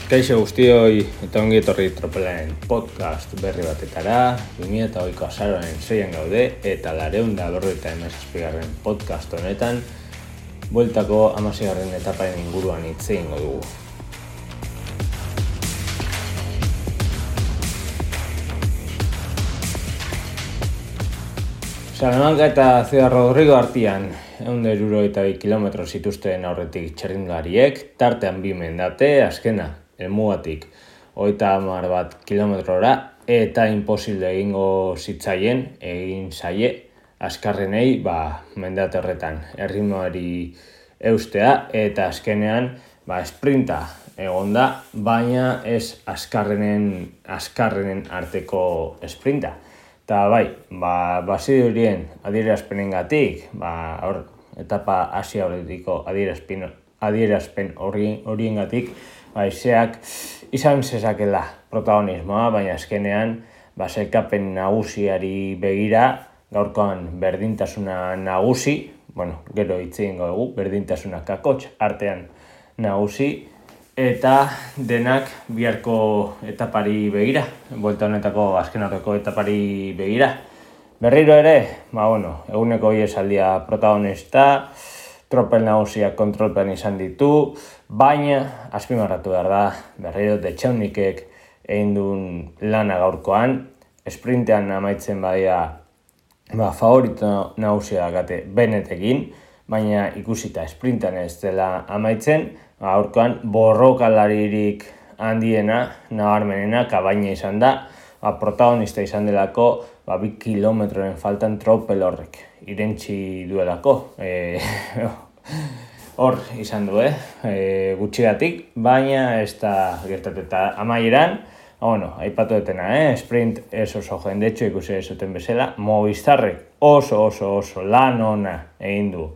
Kaixo guztioi eta ongi etorri Tropelaren podcast berri batetara. 2008ko azaroaren 6an gaude eta 457. podcast honetan bueltako 16. etaparen inguruan hitz egingo dugu. Salamanca eta Ciudad Rodrigo artean 162 kilometro zituzten aurretik txirrindulariek, tartean 2 mendate, azkena helmugatik 31 kilometrora eta imposible egin zaie azkarrenei mendate horretan erritmoari eustea eta azkenean sprinta egon da, baina ez azkarrenen arteko sprinta. Eta bazirudien adierazpenengatik, etapa hasi aurretiko adierazpen horiengatik, haizeak izan zezakela protagonismoa, baina azkenean sailkapen nagusiari begira, gaurkoan berdintasuna nagusi, gero hitz egingo dugu, berdintasuna kakotx artean nagusi, eta denak biharko etapari begira, buelta honetako azken aurreko etapari begira. Berriro ere, eguneko esaldia protagonista, tropel nagusiak kontrolpean izan ditu, baina azpimarratu behar da, berriro Detxaunikek egin duen lana gaurkoan, sprintean amaitzen favorito nagusia gate Benetekin, baina ikusita sprintean ez dela amaitzen, gaurkoan borrokalaririk handiena, nabarmenena, Kabaina izan da, protagonista izan delako, 2 kilometroren faltan tropel horrek irentzi duelako. Hor izan du, gutxigatik, baina ez da gertatu eta amaieran, aipatu detena, sprint ez oso jendetxo ikusi zuten bezala, Movistarrek oso lan ona egin du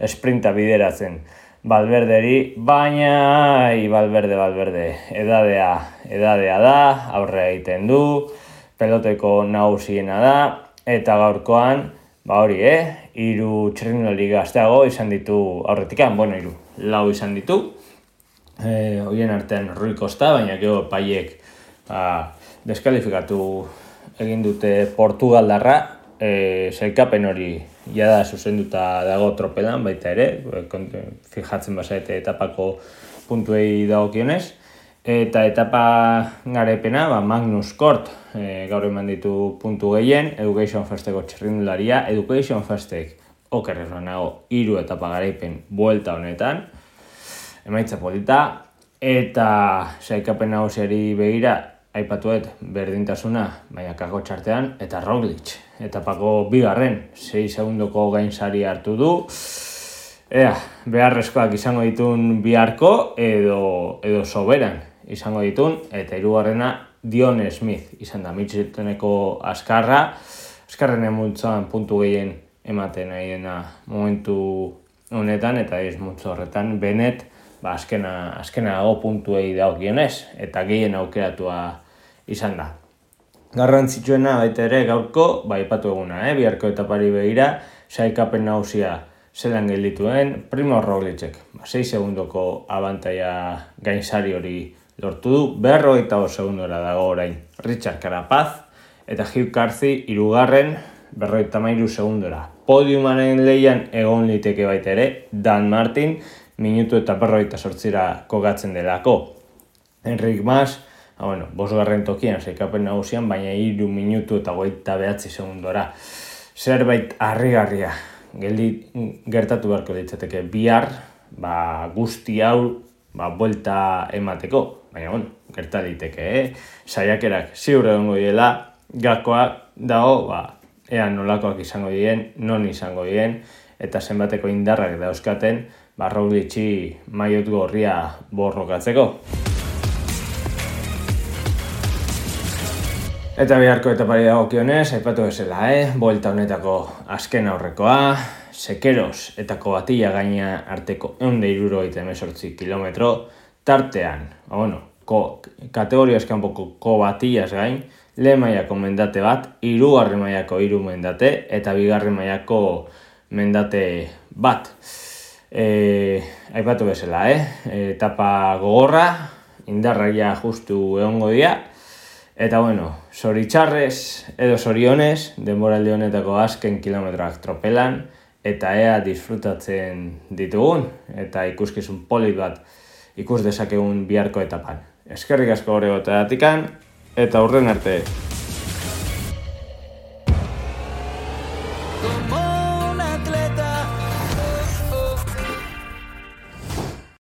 sprinta bideratzen Valverderi, baina Valverde edadea da, aurre egiten du, peloteko nagusiena da, eta gaurkoan, 3 txirrindulari gazteago izan ditu aurretikan, 4 izan ditu, horien artean Rui Costa, baina gero paiek deskalifikatu egin dute Portugaldarra, sailkapen hori jada zuzenduta dago tropelan baita ere, fijatzen bazaete etapako puntuei dagokionez, eta etapa garaipena Magnus Kort gaur eman ditu puntu gehien, Education Firsteko txirrindularia, Education Firstek okerrez banago 3 etapa garaipen buelta honetan, emaitza polita, eta sailkapen nagusiari begira aipatuet berdintasuna, baina kako txartean, eta Roglic, etapako 2. 6 segundoko gainsari hartu du. Beharrezkoak izango ditun biharko edo soberan izango ditun, eta 3. Dion Smith izan da, Mitcheltoneko azkarrenen multzoan puntu gehien ematen ari dena momentu honetan, eta ez multzo horretan Benet, azkenago puntuei dagokionez, eta gehien aukeratua izan da. Garrantzitsuena baita ere gaurko, aipatu eguna, biharko etapari begira, sailkapen nagusia zelan geldituen, Primož Roglicek, 6 segundoko abantaia gainsari hori lortu du, 52 segundora dago orain Richard Carapaz, eta Hugh Carthy 3. 53 segundora. Podiumaren lehian egon liteke baita ere, Dan Martin, minutu eta 48 kokatzen delako. Enric Mas, 5. tokian sailkapen nagusian, baina 3 minutu eta 29 segundora. Zerbait harrigarria gertatu beharko litzateke bihar, guzti hau buelta emateko, baina gerta liteke, saiakerak ziur egongo diela, gakoak dago, ea nolakoak izango diren, non izango diren, eta zenbateko indarrak dauzkaten, Roglic'i maiot gorria borrokatzeko. Eta biharko etapari dagokionez, aipatu bezala, buelta honetako azken aurrekoa, Sekeros eta Kobatilla gaina arteko 178 kilometro, tartean, kategoria eskanpoko Kobatillas gain, lehen mailako mendate bat, 3. mailako 3 mendate, eta 2. mailako mendate bat. Aipatu bezala, etapa gogorra, indarraia justu egongo dira. Eta bueno, zoritxarrez edo zorionez, denboraldi honetako azken kilometroak tropelan, eta ea disfrutatzen ditugun, eta ikuskizun polit bat ikus dezakegun biharko etapan. Eskerrik asko hori goteatikan, eta urren arte.